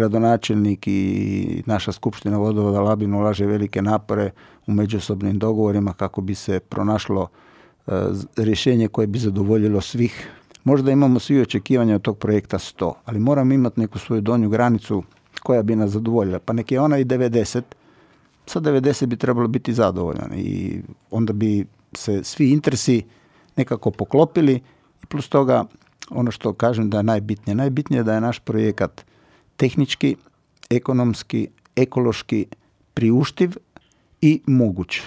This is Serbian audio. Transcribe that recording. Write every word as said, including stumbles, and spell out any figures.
Gradonačelnik i naša skupština vodovoda Labin ulaže velike napore u međusobnim dogovorima kako bi se pronašlo e, rješenje koje bi zadovoljilo svih. Možda imamo svi očekivanja od tog projekta sto, ali moramo imati neku svoju donju granicu koja bi nas zadovoljila. Pa nek je ona i devedeset, sa devedeset bi trebalo biti zadovoljan i onda bi se svi interesi nekako poklopili i plus toga ono što kažem da je najbitnije. Najbitnije je da je naš projekat tehnički, ekonomski, ekološki priuštiv i moguć.